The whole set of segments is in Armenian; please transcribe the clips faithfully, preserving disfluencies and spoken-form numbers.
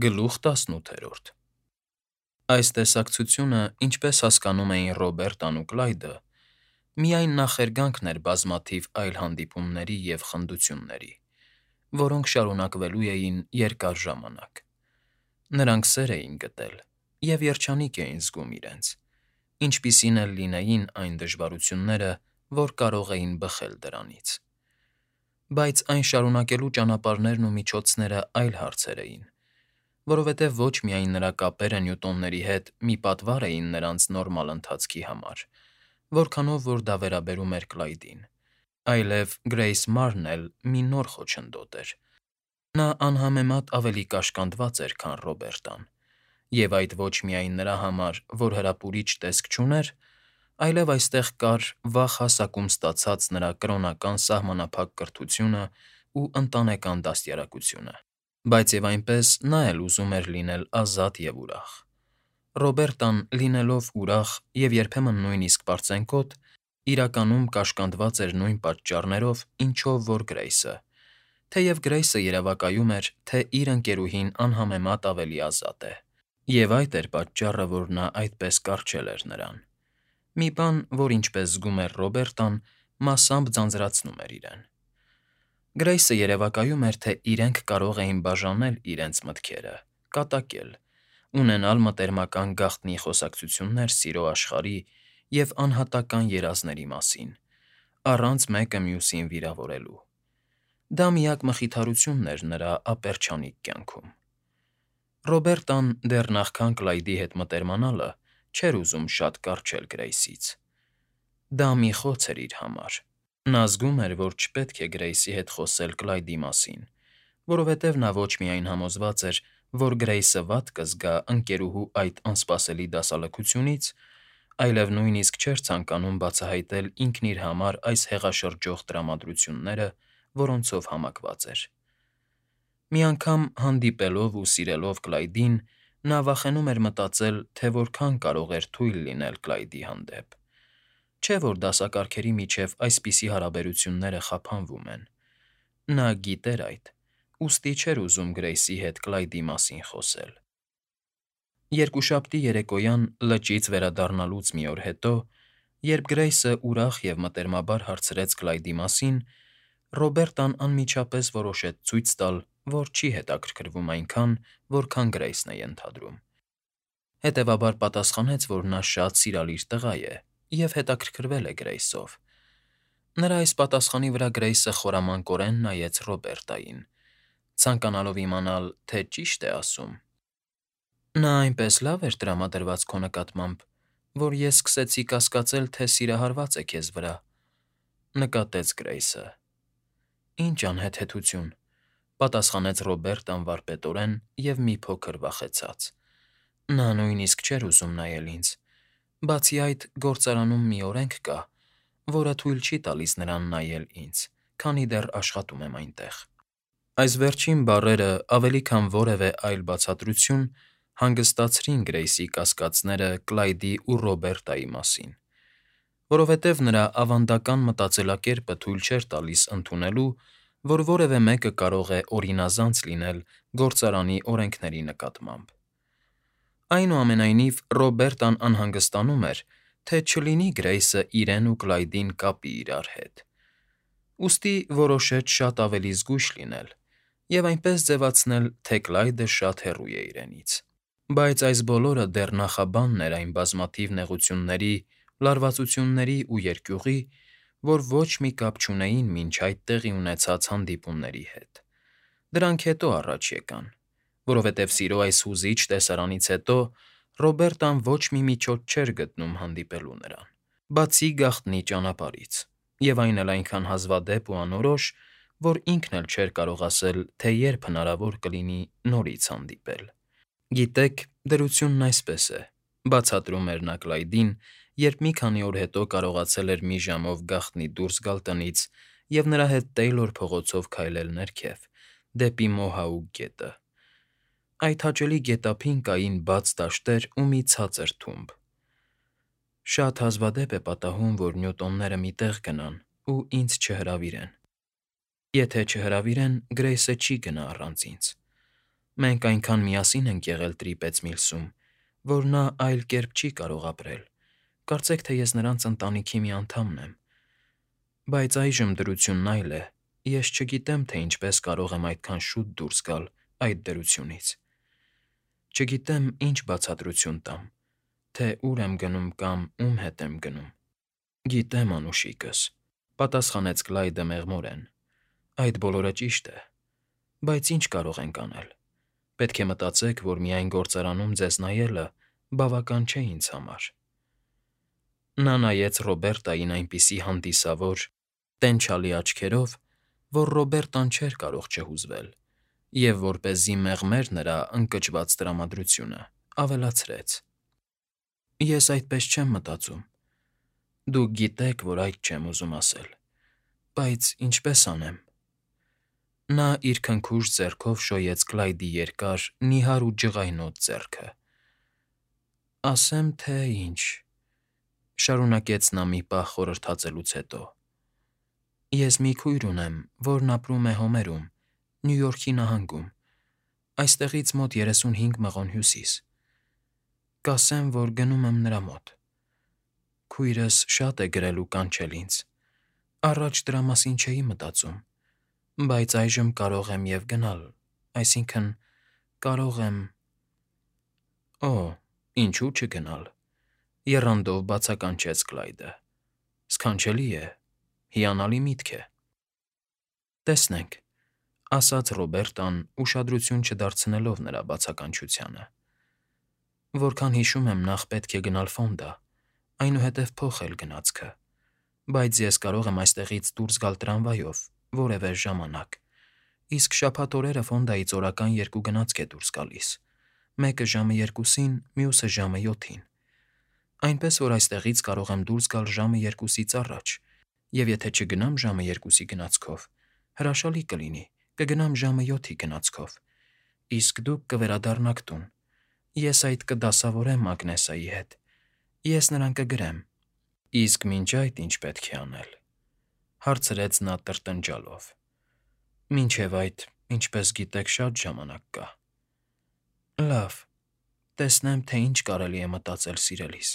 Գլուխ տասնութերորդ Այս տեսակցությունը, ինչպես հասկանում էին Ռոբերտն ու Կլայդը, միայն նախերգանքն էր բազմաթիվ այլ հանդիպումների և խնդությունների, որոնք շարունակվելու էին երկար ժամանակ. նրանք սեր էին գտել և երջանիկ էին զգում իրենց, ինչպիսին էլ լինեին այն դժվարությունները, որ կարող էին բխել դրանից. Բայց այն շարունակելու ճանապարհներն ու միջոցները այլ հարցեր էին, որովհետև ոչ միայն նրա կապերը Նյուտոնների հետ մի պատվար էին նրանց նորմալ ընթացքի համար, որքանով որ դա վերաբերում էր Կլայդին, այլև Գրեյս Մարն էլ մի նոր խոչընդոտ էր. նա անհամեմատ ավելի կաշկանդված էր, քան Ռոբերտն, և այդ ոչ միայն նրա համար, որ հրապուրիչ տեսք չուներ, այլև այստեղ կար վաղ հասակում ստացած նրա կրոնական սահմանափակ կրթությունն ու ընտանեկան դաստիարակությունը, բայց և այնպես նա էլ ուզում էր լինել ազատ և ուրախ. Ռոբերտն, լինելով ուրախ և երբեմն նույնիսկ պարծենկոտ, իրականում կաշկանդված էր նույն պատճառներով, ինչով որ Գրեյսը, թեև Գրեյսը երևակայում էր, թե իր ընկերուհին անհամեմատ ավելի ազատ է, և այդ էր պատճառը, որ նա այդպես կառչել էր նրան. մի բան, որ, ինչպես զգում էր Ռոբերտն, մասամբ ձանձրացնում էր իրեն. Գրեյսը երևակայում էր, թե իրենք կարող էին բաժանել իրենց մտքերը, կատակել, ունենալ մտերմական գաղտնի խոսակցություններ սիրո աշխարհի և անհատական երազների մասին, առանց մեկը մյուսին վիրավորելու. դա միակ մխիթարությունն էր նրա ապերչանիկ կյանքում։ Ռոբերտն դեռ նախքան Կլայդի հետ մտերմանալը չէր ուզում շատ կառչել Գրեյսից. դա մի խոց էր իր համար. նա զգում էր, որ չպետք է Գրեյսի հետ խոսել Կլայդի մասին, որովհետև նա ոչ միայն համոզված էր, որ Գրեյսը վատ կզգա ընկերուհու այդ անսպասելի դասալքությունից, այլև նույնիսկ չէր ցանկանում բացահայտել ինքն իր համար այս հեղաշրջող տրամադրությունները, որոնցով համակված էր։ Մի անգամ հանդիպելով ու սիրելով Կլայդին, նա վախենում էր մտածել, թե որքան կարող էր թույլ լինել Կլայդի հանդեպ, չէ՞ որ դասակարգերի միջև այսպիսի հարաբերությունները խափանվում են. նա գիտեր այդ, ուստի չէր ուզում Գրեյսի հետ Կլայդի մասին խոսել։ Երկուշաբթի երեկոյան լճից վերադառնալուց մի օր հետո, երբ Գրեյսը ուրախ և մտերմաբար հարցրեց Կլայդի մասին, Ռոբերտն անմիջապես որոշեց ցույց տալ, որ չի հետաքրքրվում այնքան, որքան Գրեյսն է ենթադրում, հետևաբար պատասխանեց, որ նա շատ սիրալիր տղա է և հետաքրքրվել է Գրեյսով. նրա այս պատասխանի վրա Գրեյսը խորամանկորեն նայեց Ռոբերտային, ցանկանալով իմանալ, թե ճի՞շտ է ասում։ Նա այնպես լավ էր տրամադրված քո նկատմամբ, որ ես սկսեցի կասկածել, թե սիրահարված է քեզ վրա, ֊ նկատեց Գրեյսը։ Ինչ անհեթեթություն, ֊ պատասխանեց Ռոբերտն վարպետորեն և մի փոքր վախեցած. նա նույնիսկ չէր ուզում նայել ինձ, բացի այդ, գործարանում մի օրենք կա, որը թույլ չի տալիս նրան նայել ինձ, քանի դեռ աշխատում եմ այնտեղ։ Այս վերջին բառերը ավելի քան որևէ այլ բացատրություն հանգստացրին Գրեյսի կասկածները Կլայդի ու Ռոբերտայի մասին, որովհետև նրա ավանդական մտածելակերպը թույլ չէր տալիս ընդունելու, որ որևէ մեկը կարող է օրինազանց լինել գործարանի օրենքների նկատմամբ։ Այնուամենայնիվ, Ռոբերտն անհանգստանում էր, թե չլինի Գրեյսը իրեն ու Կլայդին կապի իրար հետ, ուստի որոշեց շատ ավելի զգույշ լինել և այնպես ձևացնել, թե Կլայդը շատ հեռու է իրենից։ Բայց այս բոլորը դեռ նախաբանն էր այն բազմաթիվ նեղությունների, լարվածությունների ու երկյուղի, որ ոչ մի կապ չունեին մինչ այդ տեղի ունեցած հանդիպումների հետ. դրանք հետո առաջ եկան, որովհետև սիրո այս հուզիչ տեսարանից հետո Ռոբերտն ոչ մի միջոց չէր գտնում հանդիպելու նրան, բացի գաղտնի ճանապարհից, և այն էլ այնքան հազվադեպ ու անորոշ, որ ինքն էլ չէր կարող ասել, թե երբ հնարավոր կլինի նորից հանդիպել։ Գիտեք, դրությունն այսպես է, ֊ բացատրում էր նա Կլայդին, երբ մի քանի օր հետո կարողացել էր մի ժամով գաղտնի դուրս գալ տնից և նրա հետ Տեյլոր փողոցով քայլել ներքև, դեպի Մոհաուկ գետը. այդ հաճելի գետափին կային բաց դաշտեր ու մի ցածր թումբ։ Շատ հազվադեպ է պատահում, որ Նյուտոնները մի տեղ գնան ու ինձ չհրավիրեն։ Եթե չհրավիրեն, Գրեյսը չի գնա առանց ինձ։ Մենք այնքան միասին ենք եղել Տրիպեց Միլսում, որ նա այլ կերպ չի կարող ապրել, կարծեք թե ես նրանց ընտանիքի մի անդամն եմ։ Բայց այժմ դրությունն այլ է, ես չգիտեմ, թե ինչպես կարող եմ այդքան շուտ դուրս գալ այդ դրությունից։ Չգիտեմ ինչ բացատրություն տամ, թե ուր եմ գնում կամ ում հետ եմ գնում։ Գիտեմ, անուշիկս, պատասխանեց Կլայդը մեղմորեն, այդ բոլորը ճիշտ է, բայց ինչ կարող ենք անել։ Պետք է մտածեք, որ միայն գործարանում ձեզ նայելը բավական չէ ինձ համար։ Նա նայեց Ռոբերտային այնպիսի հանդիսավոր, տենչալի աչքերով, որ Ռոբերտան չէր կարող չհուզվել, և որպեսզի մեղմեր նրա ընկճված տրամադրությունը, ավելացրեց. Ես այդպես չեմ մտածում։ Դուք գիտեք, որ այդ չեմ ուզում ասել, բայց ինչպես անեմ։ Նա իր քնքուշ ձեռքով շոյեց Կլայդի երկար, նիհար ու ջղայնոտ ձեռքը։ Ասեմ, թե ինչ, շարունակեց նա մի պահ խորհրդածելուց հետո։ Ես մի քույր ունեմ, որն ապրում է Հոմերում, Նյու Յորքի նահանգում, այստեղից մոտ երեսունհինգ մղոն հյուսիս։ Կասեմ, որ գնում եմ նրա մոտ։ Քույրս շատ է գրել ու կանչել ինձ։ Առաջ դրա մասին չէի մտածում, բայց այժմ կարող եմ և գնալ, այսինքն՝ կարող եմ… Օ, ինչու՞ չգնալ, եռանդով բացականչեց Կլայդը։ Սքանչելի է, հիանալի միտք է։ Տեսնենք, ասաց Ռոբերտան, ուշադրություն չդարձնելով նրա բացականչությանը։ Որքան հիշում եմ, նախ պետք է գնալ Ֆոնդա, այնուհետև փոխել գնացքը, բայց ես կարող եմ այստեղից դուրս գալ տրամվայով որևէ ժամանակ, իսկ շաբաթ օրերը Ֆոնդայից օրական երկու գնացք է դուրս գալիս, մեկը ժամը երկուսին, մյուսը ժամը յոթին, այնպես որ այստեղից կարող եմ դուրս գալ ժամը երկուսից առաջ, և եթե չգնամ ժամը երկուսի գնացքով, հրաշալի կլինի, կգնամ ժամը յոթի գնացքով, իսկ դուք կվերադառնաք տուն, ես այդ կդասավորեմ Ագնեսայի հետ, ես նրան կգրեմ։ Իսկ մինչ այդ ինչ պետք է անել, հարցրեց նա տրտնջալով։ Մինչև այդ, ինչպես գիտեք, շատ ժամանակ կա։ Լավ, տեսնեմ, թե ինչ կարելի է մտածել սիրելիս։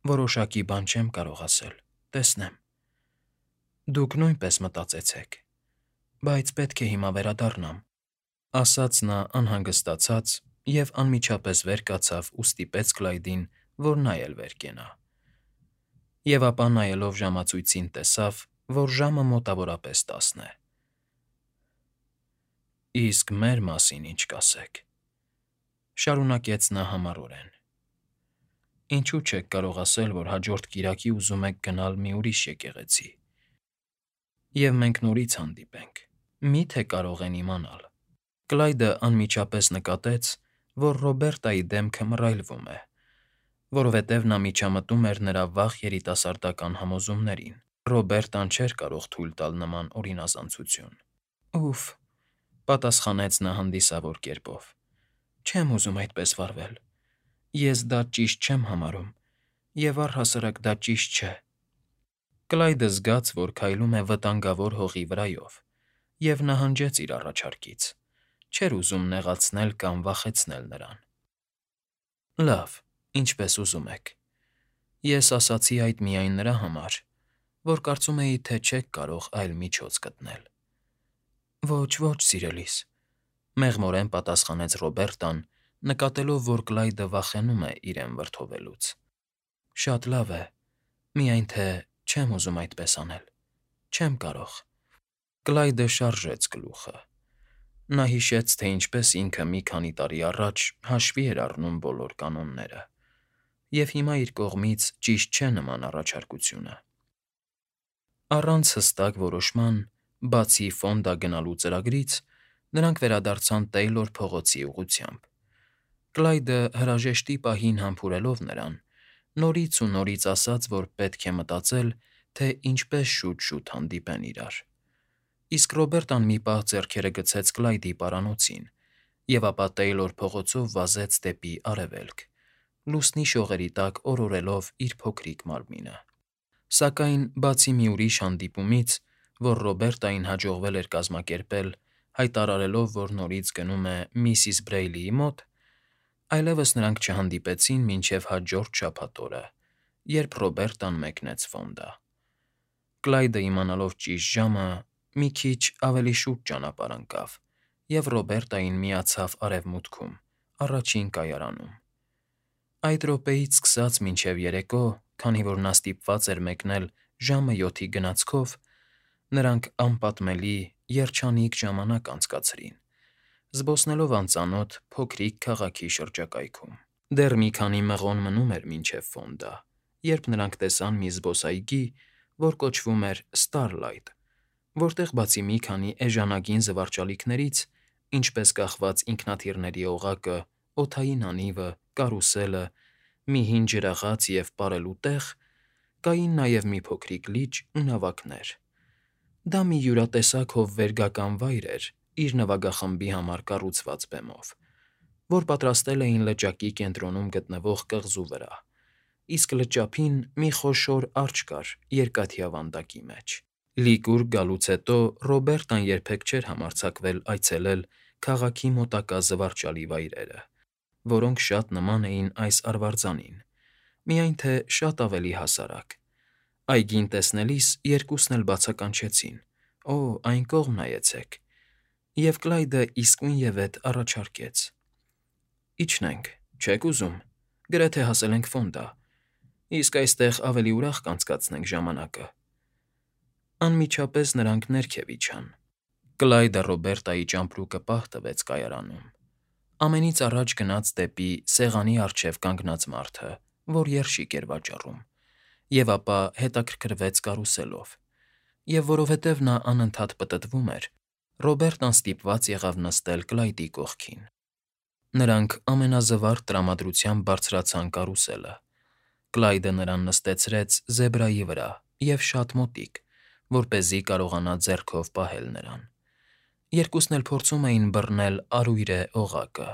Որոշակի բան չեմ կարող ասել, տեսնեմ։ Դուք նույնպես մտածեցեք, բայց պետք է հիմա վերադառնամ, ասաց նա անհանգստացած և անմիջապես վեր կացավ ու ստիպեց Կլայդին, որ նա էլ վեր կենա։ Եվ ապա նայելով ժամացույցին տեսավ, որ ժամը մոտավորապես տասն է։ Իսկ մեր մասին ինչ կասեք, շարունակեց նա համառորեն։ Ինչու՞ չեք կարող ասել, որ հաջորդ կիրակի ուզում եք գնալ մի ուրիշ եկեղեցի, և մենք նորից հանդիպենք, մի՞թե կարող են իմանալ։ Կլայդը անմիջապես նկատեց, որ Ռոբերտայի դեմքը մռայլվում է, որովհետև նա միջամտում էր նրա վաղ երիտասարդական համոզումներին։ Ռոբերտան չէր կարող թույլ տալ նման օրինազանցություն։ Ուֆ, պատասխանեց նա հանդիսավոր կերպով, չեմ ուզում այդպես վարվել։ Ես դա ճիշտ չեմ համարում, և առհասարակ դա ճիշտ չէ։ Կլայդը զգաց, որ քայլում է վտանգավոր հողի վրայով, և նահանջեց իր առաջարկից, չէր ուզում նեղացնել կամ վախեցնել նրան։ Լավ, ինչպես ուզում եք։ Ես ասացի այդ միայն նրա համար, որ կարծում էի, թե չեք կարող այլ միջոց գտնել։ Ոչ, ոչ, սիրելիս, մեղմորեն պատասխանեց Ռոբերտան, նկատելով, որ Կլայդը վախենում է իրեն վրդովելուց։ Շատ լավ է, միայն թե չեմ ուզում այդպես անել, չեմ կարող։ Կլայդը շարժեց գլուխը։ Նա հիշեց, թե ինչպես ինքը մի քանի տարի առաջ հաշվի էր առնում բոլոր կանոնները, և հիմա իր կողմից ճիշտ չէ նման առաջարկությունը։ Առանց հստակ որոշման, բացի Ֆոնդա գնալու ծրագրից, նրանք վերադարձան Տեյլոր փողոցի ուղղությամբ։ Կլայդը հրաժեշտի պահին համբուրելով նրան, նորից ու նորից ասաց, որ պետք է մտածել, թե ինչպես շուտ-շուտ հանդիպեն իրար։ Իսկ Ռոբերտան մի պահ ձեռքերը գցեց Կլայդի պարանոցին, և ապա Տեյլոր փողոցով վազեց դեպի արևելք, լուսնի շողերի տակ օրորելով իր փոքրիկ մարմինը։ Սակայն, բացի մի ուրիշ հանդիպումից, որ Ռոբերտային հաջողվել էր կազմակերպել հայտարարելով, որ նորից գնում է միսիս Բրեյլիի մոտ, այլևս նրանք չհանդիպեցին մինչև հաջորդ շաբաթ օրը, երբ Ռոբերտան մեկնեց ֆոնդա։ Կլայդը, իմանալով ճիշտ ժամը, մի քիչ ավելի շուտ ճանապարհ ընկավ և Ռոբերտային միացավ Արևմուտքում, առաջին կայարանում։ Այդ րոպեից սկսած մինչև երեկո, քանի որ նա ստիպված էր մեկնել ժամը յոթի գնացքով, նրանք անպատմելի, երջանիկ ժամանակ անցկացրին, զբոսնելով անծանոթ փոքրիկ քաղաքի շրջակայքում։ Դեռ մի քանի մղոն մնում էր մինչև Ֆոնդա, երբ նրանք տեսան մի զբոսայգի, որ կոչվում էր Ստարլայթ, որտեղ բացի մի քանի էժանագին զվարճալիքներից, ինչպես կախված ինքնաթիռների օղակը, օդային անիվը, կարուսելը, մի հին ջրաղաց և պարելու տեղ, կային նաև մի փոքրիկ լիճ ու նավակներ։ Դա մի յուրատեսակ հովվերգական վայր էր իր նվագախմբի համար կառուցված բեմով, որ պատրաստել էին լճակի կենտրոնում գտնվող կղզու վրա, իսկ լճափին մի խոշոր արջը կար երկաթյա վանդակի մեջ։ Լիգուրգ գալուց հետո Ռոբերտան երբեք չէր համարձակվել այցելել քաղաքի մոտակա զվարճալի վայրերը, որոնք շատ նման էին այս արվարձանին, միայն թե շատ ավելի հասարակ։ Այգին տեսնելիս երկուսն էլ բացականչեցին. «Օ, այն կողմ նայեցեք», և Կլայդը իսկույնևեթ առաջարկեց. «Իջնենք, չե՞ք ուզում, գրեթե հասել ենք Ֆոնդա, իսկ այստեղ ավելի ուրախ կանցկացնենք ժամանակը»։ Անմիջապես նրանք ներքև իջան։ Կլայդը Ռոբերտայի ճամպրուկը պահ տվեց կայարանում, ամենից առաջ գնաց դեպի սեղանի առջև կանգնած մարդը, որ երշիկ էր վաճառում, և ապա հետաքրքրվեց կարուսելով, և որովհետև նա անընդհատ պտտվում էր, Ռոբերտան ստիպված եղավ նստել Կլայդի կողքին։ Նրանք ամենազվարթ տրամադրությամբ բարձրացան կարուսելը։ Կլայդը նրան նստեցրեց զեբրայի վրա և շատ մոտիկ, որպեսզի կարողանա ձեռքով պահել նրան։ Երկուսն էլ փորձում էին բռնել արույրե օղակը։